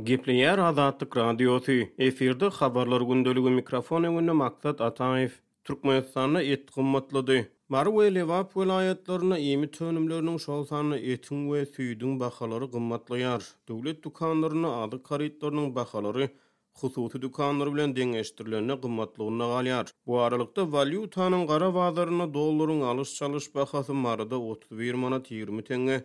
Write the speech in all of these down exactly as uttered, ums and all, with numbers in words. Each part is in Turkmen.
Gepleýär Azatlyk Radiosy, efirde Habarlar gündeligi, mikrofon öňünde Maksat Ataýew. Türkmenistanda et gymmatlady. Mary we Lebap welaýatlarynda iýmit önümleriniň, şol sanda etiň we süýdüň bahalary gymmatlaýar. Döwlet dükanlarynda azyk harytlarynyň bahalary hususy dükanlar bilen deňeşdirilende gymmatlygynda galýar. Bu aralykda, walýutanyň gara bazarynda dollaryň alyş-çalyş bahasy Maryda otuz bir manat ýigrimi teňňe,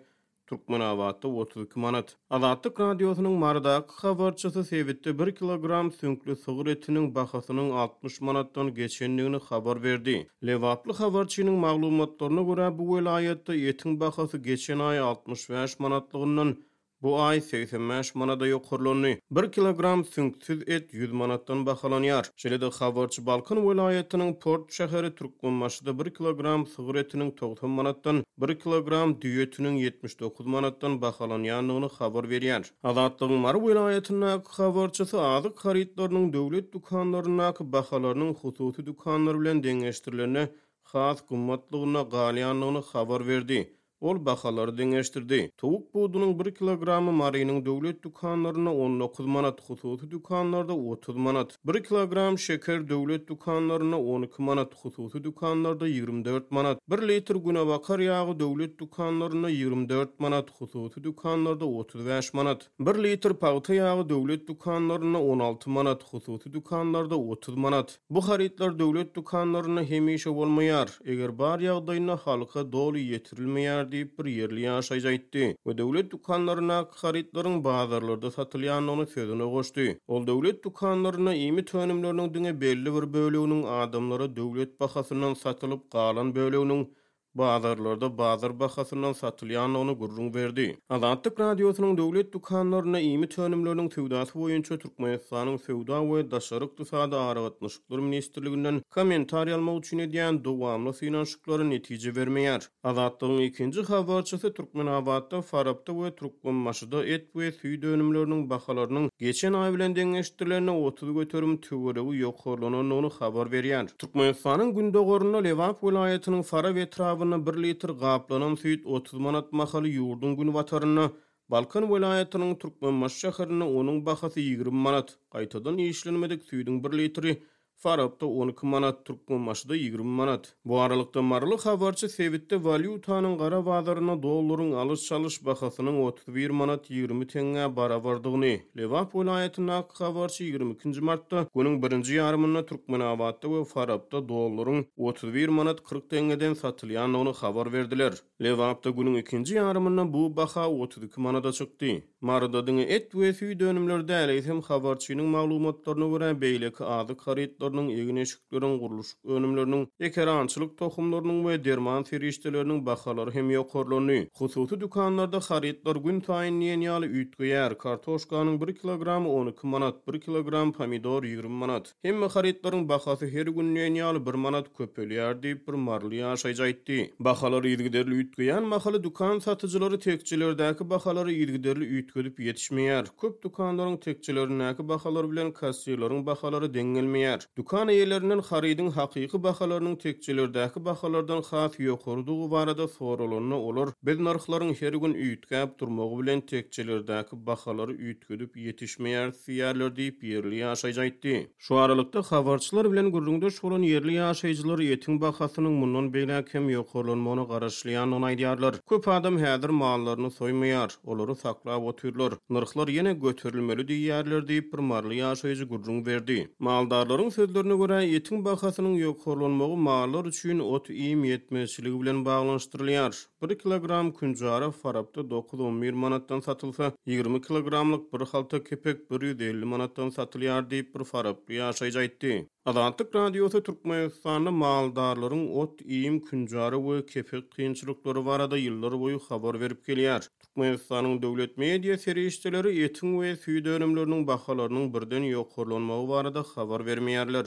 Türkmenabatda otuz iki manat. Azatlyk Radiosynyň Marydaky habarçysy sebitde bir kilogram süňkli sygyr etiniň bahasynyň altmyş manatdan geçendigini habar berdi. Lebaply habarçynyň maglumatlaryna görä, bu welaýatda etiň bahasy geçen aý altmyş bäş manatlygyndan bu aý segsen bäş manada ýokarlandy. Bir kilogram süňksüz et ýüz manatdan bahalanýar. Şeýle-de habarçy Balkan welaýatynyň Port şäheri Türkmenbaşyda bir kilogram sygyr etiniň togsan manatdan, bir kilogram düýe etiniň ýetmiş dokuz manatdan bahalanýandygyny habar berýär. Azatlygyň Mary welaýatyndaky habarçysy azyk harytlarynyň döwlet dükanlaryndaky bahalarynyň hususy dükanlar bilen deňeşdirilende has gymmatlygyna galýandygyny habar berdi. Ol bahalary deňeşdirdi. Towuk budunyň bir kilogramy Marynyň döwlet dükanlarynda on dokuz manat, hususy dükanlarda otuz manat. Bir kilogram şeker döwlet dükanlarynda on iki manat, hususy dükanlarda ýigrimi dört manat. Bir litr günebakar ýagy döwlet dükanlarynda ýigrimi dört manat, hususy dükanlarda otuz bäş manat. Bir litr pagta ýagy döwlet dükanlarynda on alty manat, hususy dükanlarda otuz manat. Bu harytlar döwlet dükanlarynda hemişe bolmaýar. Eger bar ýagdaýynda halka doly ýetirilmeýär diýip bir ýerli ýaşaýjy aýtdy we döwlet dükanlaryndaky harytlaryň bazarlarda satylýandygyny sözüne goşdy. Ol döwlet dükanlarynda iýmit önümleriniň diňe belli bir böleginiň adamlara döwlet bahasyndan satylyp galan böleginiň bazarlarda bazar bahasyndan satylýandygyny gürrüň berdi. Azatlyk Radiosynyň döwlet dükanlarynda iýmit önümleriniň söwdasy boýunça Türkmenistanyň Söwda we Daşary Ykdysady Aragatnaşyklar Ministrliginden kommentariý almak üçin edýän dowamly synanyşyklary netije bermeýär. Azatlygyň ikinji habarçysy Türkmenabatda, Farapda we Türkmenbaşyda et we süýt önümleriniň bahalarynyň geçen aý bilen deňeşdirilende otuz göterim töweregi ýokarlanandygyny habar berýär. Türkmenistanyň gündogarynda Lebap welaýatynyň Farap etrabynda bir litr gaplanan süýt otuz manat mahaly ýurduň günbatarynda, Balkan welaýatynyň Türkmenbaşy şäherinde onuň bahasy ýigrimi manat, gaýtadan işlenmedik süýdüň bir litri Farapda on iki manat, Türkmenbaşyda ýigrimi manat. Bu aralykda Maryly habarçy sebitde walýutanyň gara bazarynda dollaryň alyş-çalyş bahasynyň otuz bir manat ýigrimi teňňä barabardygyny, Lebap welaýatyndaky habarçy ýigrimi ikinji martda günüň birinji ýarymynda Türkmenabatda we Farapda dollaryň otuz bir manat kyrk teňňeden satylýandygyny habar berdiler. Lebapda günüň ikinji ýarymynda bu baha otuz iki manada çykdy. Maryda diňe et we süýt önümleri däl, eýsem habarçynyň maglumatlaryna görä beýleki azyk harytlarynyň, egin-eşikleriň, gurluşyk önümleriniň, ekerançylyk tohumlarynyň we derman serişdeleriniň bahalary hem ýokarlandy. Hususy dükanlarda harytlar gün saýyn diýen ýaly üýtgeýär. Kartoşkanyň bir kilogramy on iki manat, bir kilogram pomidor ýigrimi manat. Hemme harytlaryň bahasy her gün diýen ýaly bir manat köpelýär diýip bir maryly ýaşaýjy aýtdy. Bahalar yzygiderli üýtgeýän mahaly dükan satyjylary tekjelerdäki bahalary yzygiderli üýtgedip ýetişmeýär. Köp dükanlaryň tekjelerindäki bahalar bilen kassirleriň bahalary deň gelmeýär. Dükan eýelerinden harydyň hakyky bahalarynyň tekjelerdäki bahalardan has ýokarydygy barada soralanda olar biz nyrhlaryň her gün üýtgäp durmagy bilen tekjelerdäki bahalary üýtgedip ýetişmeýär diýerler diýip ýerli ýaşaýjy aýtdy. Şu aralykda habarçylar bilen gürrüňdeş bolan ýerli ýaşaýjylar etiň bahasynyň mundan beýläk hem ýokarlanmagyna garaşylýandygyny aýdýarlar. Köp adam häzir mallaryny soýmaýar, olary saklap otyrlar. Nyrhlar ýene göterilmeli diýýärler diýip bir maryly ýaşaýjy gürrüň berdi. Maldarlaryň sözlerine görä etiň bahasynyň ýokarlanmagy mallar üçin ot iým ýetmezçiligi bilen baglanyşdyrylýar. Bir kilogram künjara Farapda dokuz on bir manatdan satylsa, ýigrimi kilogramlyk bir halta kepek bir ýüz elli manatdan satylýar diýip bir faraply ýaşaýjy aýtdy. Azatlyk Radiosy Türkmenistanda maldarlaryň ot, iým, künjara we kepek kynçylyklary barada ýyllar boýy habar berip gelýär. Türkmenistanyň döwlet media serişdeleri etiň we süýt önümleriniň bahalarynyň birden ýokarlanmagy barada habar bermeýärler.